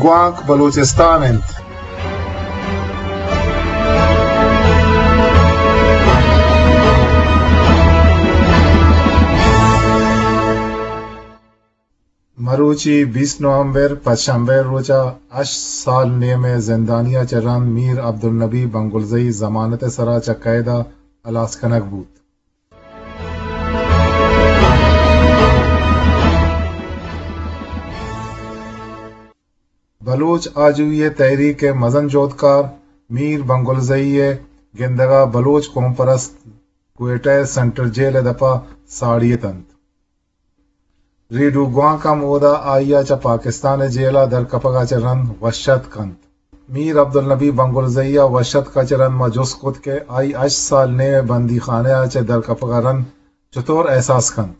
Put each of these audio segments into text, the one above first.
گوانک بلوچستان انت۔ مروچی بیست نومبر، پنچ شنبہ روچا ہشت سال نیم ء زندانی ء چہ رند میر عبدالنبی بنگلزئی ضمانت ء سرا چہ قید ء ہلاس کنگ بوت۔ بلوچ آجوئی ء تحریک ء مزن جہدکار میر بنگلزئی ء گندگ ء بلوچ قوم پرست کوئٹہ ء سینٹرل جیل ء دپ ء ساڑی ات انت۔ ریڈو گوانک ہم اودا آئی ء چہ پاکستان ء جیل ء در کپگ ء چہ رند وش اتک انت۔ میر عبدالنبی بنگلزئی ء وش اتک ء چہ رند ما جست کت کہ آئی ہشت سال نیم ء بندی خانہ ء چہ در کپگ ء رند چتور احساس کنت۔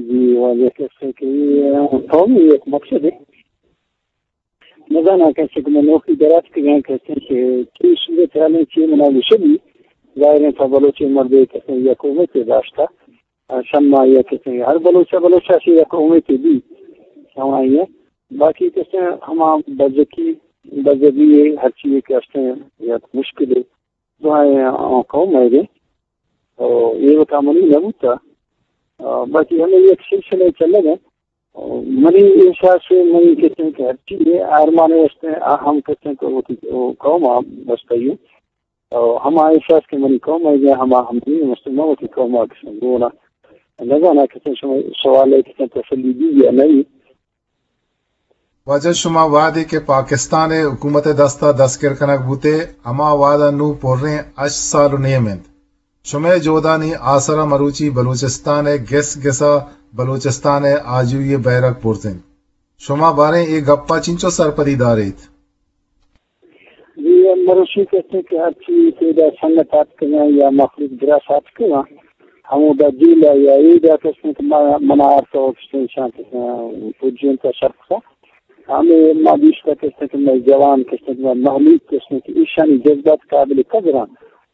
جی، واجہ کسے کہ قومی یک مقصد ہے۔ نزاناں کسے کہ من نوکی درات کہ گئے کسے کہ چی صورت حال ہے، چی منا گوشگی۔ ظاہر ہے تا بلوچ مردے کسے یک امیتے داشتا۔ شما یک کسے ہر بلوچ بلوچ سے یک امیتے دی۔ سمائی ہے۔ باقی کسے ہما بزکی، بزگی ہے، ہر چیز کہ استے یک مشکل ہے۔ دعائیں آں قوم ء دے۔ او اے وتا منی نہ بوتا۔ آ، باقی ہمیں یک سلسلہ چلگ ہے۔ او منی احساس ہے، منی کہتے ہیں کہ ہر چیز ہے، آرمان ہے، اس نے آ ہم کہتے ہیں کہ وہ کی-، وہ قوم آ بستا ہی ہے۔ او ہما احساس کہ منی قوم ء دے، ہما ہم دین مسلمان وہ کی قوم آ کسن گونا۔ نزاناں کسن شما سوال ہے کسن تسلی دی یا نہیں۔ واجہ، شما وہدے کہ پاکستان ء حکومت ء دست ء دستگیر کنگ بوتے، ہما وہد ء نوں پریں ہشت سال و نیم انت۔ شمئے جہدانی آسر ء مروچی بلوچستان ء گس گس ء بلوچستان ء آجوئی ء بیرک برز انت۔ شما باریں اے گپ ء چنچو سرپدی داریت؟ جی، مروچی کہتے ہیں کہ ہرچی پیدا سنگت آتکگاں یا مخلوق براس آتکگاں، ہمودا جیل ء یا ایدا کہتے ہیں کہ ما-، منا آرتا و کہتے ہیں شان کہتے ہیں پجینتا شرط کا۔ ہمیں ما دیشتا کہتے ہیں کہ مئے جوان کہتے ہیں کہ مئے مخلوق کہتے ہیں کہ ایشانی جذبات قابل قدر ہیں۔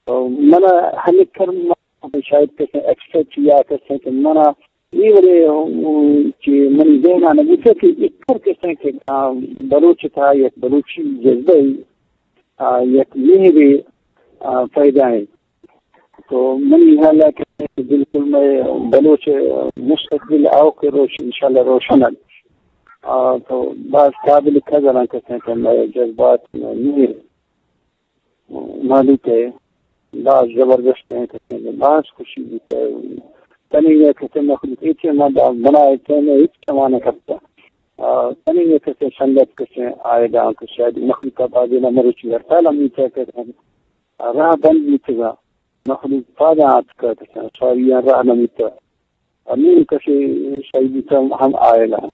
تو منا ہمیں کر ما شاید کہتے ہیں ایکسپیکٹ یا کہتے ہیں کہ منا اے وڑے، ام، کہ منی ذہن ء نہ بوتہ کہ اے کر کسیں کہ، آ، بلوچ تھا یک بلوچی جذبہ ای، آ، یک مہرے، آ، پیدا ہے۔ تو منی خیال ہے کہ بالکل مئے بلوچ مستقبل آؤکہ روش انشاءاللہ روشن ہے۔ آ، تو باز قابل قدر ہیں کسیں کہ مئے جذبات، مئے مہر مالوک ء باز زبردست ہیں کسے کہ باز خوشی بوتا ہے۔ تنی یہ کسے مخلوق ایچے ما دا بنائے تے میں ہچ کمانا کرتا۔ آ، تنی یہ کسے سنگت کسے آئے دا کہ شاید مخلوق کا بازی نہ مروچی ہڑتال ہم نہیں کہتے ہیں۔ آ، راہ بند نہیں تھا۔ مخلوق پادا آتکا کسے سواری راہ نہ ملتا۔ ء نوں کسے شہید بوتگ ہم آئل انت۔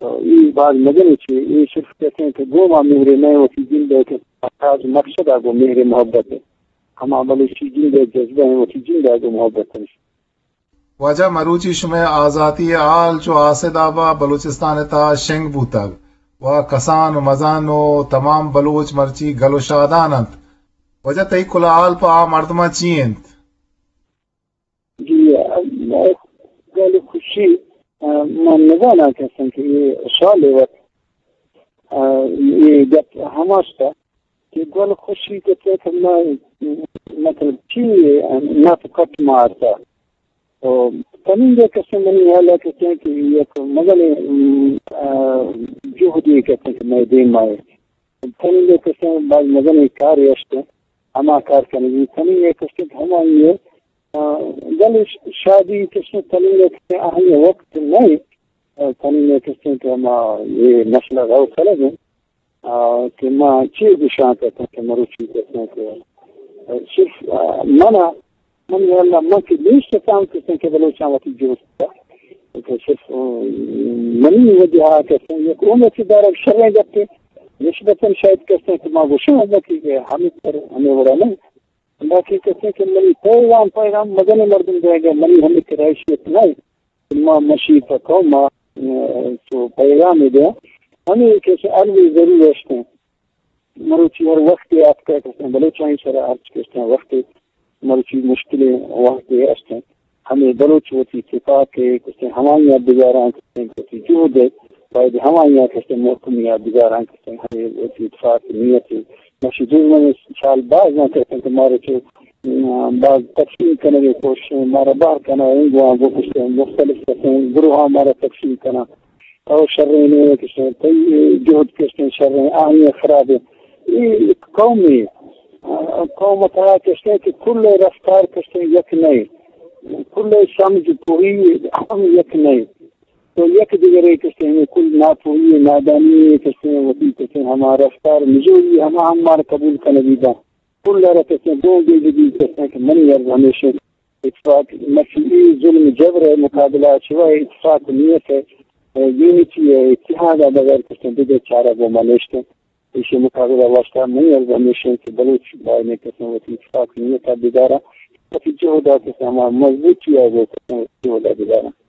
تو اے باز مزن چے، اے صرف کسے کہ گوں ما مہرے نہ وتی جند ء کہ تاج مقصد ء گوں مہر محبت ہے۔ ہما بلوچی جند ء جذبہ ہیں وتی جند ء گوں محبت ہیں۔ واجہ مروچی شمئے آزاتی ء حال چو آسد آبا بلوچستان ء تہا شنگ بوتگ و کسان و مزن و تمام بلوچ مرچی گل و شادان انت۔ واجہ تئی کل حال پہ آ مردماں چی انت؟ جی، گل خوشی، آ، من نزاناں کسیں کہ یہ سوال وقت، آ، یہ گپ ہماشتا کہ گل خوشی کہتے کہ میں، مطلب، چی نہ تو کٹ مارتا۔ تو تنین یہ کسے منی حال ہے کہتے کہ یک مزن، آ، جہدی کہتے کہ میں دیم آئے۔ تنی یہ کسے باز مزن کار است، ہما کار کنگی۔ تنی یہ کسے ہما یہ، آ، گل ش-، شادی کسے تنی یہ کسے آہی وقت نہیں۔ آ، تنی یہ کسے کہ ہما یہ مسئلہ رو کلگ ہے، آ، کہ ما چی گشان کرتے کہ مروچی کرتے کہ، آ، صرف، آ، منا من واللہ من کہ نیست اتاں کسیں کہ بلوچاں وتی جوست کہ صرف، ام، منی وجہ ء کسیں یک عمر چہ دارگ شریں گپے نسبتاً شاید کسیں کہ ما گوشاں کہ ہمیں پر ہمیں وڑا نہیں، باقی کسیں کہ منی پیغام، پیغام مزن مردم دے گا، منی ہمیں کرائشیت نہیں، ما مشی پہ قوم ما، ام، تو پیغام دے ہمیں کسیں الوی ضرور است ہیں۔ مروچی ہر وقت آتکا کسیں بلوچانی سرا ہرچ کسیں وقت مروچی مشکلیں وقت است ہیں۔ ہمیں بلوچ وتی تفاق کسیں ہمائی بگاراں کسیں وتی جہد ہے۔ باید ہمائی ءَ کستے محکمی ءَ بگاراں کستے ہمے وتی اتفاق نیت ءَ۔ مشی دشمن سال باز نہ کستے کہ مارا چو، م، باز تقسیم کنگے کوشش، مارا بہر کنا، انگواں بکشتے، مختلف کستے گروہاں مارا تقسیم کنا۔ او شریں نے کستے، تئی جہد کستے شریں، آہی خرابیں۔ اے یک قومے، آ، قوم تہا کستے کہ کل رفتار کستے یک نئے، کل سمجھ پوری ہم یک نئے۔ تو یک دگرے کستے ہمے کل ناپوہی، نادانی کستے وتی کستے ہما رفتار نجوئی ہما ہم مار قبول کنگی با۔ کل را کستے دو بیجگی کستے کہ منی عرض ہمیشہ اتفاق، مرچی اے ظلم جبر ءِ مقابلہ ءَ شوا اتفاق نیت ءَ، یونٹی ءَ، اتحاد ءَ بغیر کستے دگہ چارہ گوں ما نیشتے۔ ایشی مقابلہ واسطہ منی عرض ہمیشہ کہ بلوچ باید کستے وتی اتفاق نیت ءَ بداراں، وتی جہد ءَ کستے ہما مضبوطی ءَ گوں کستے وتی جہد ءَ بداراں۔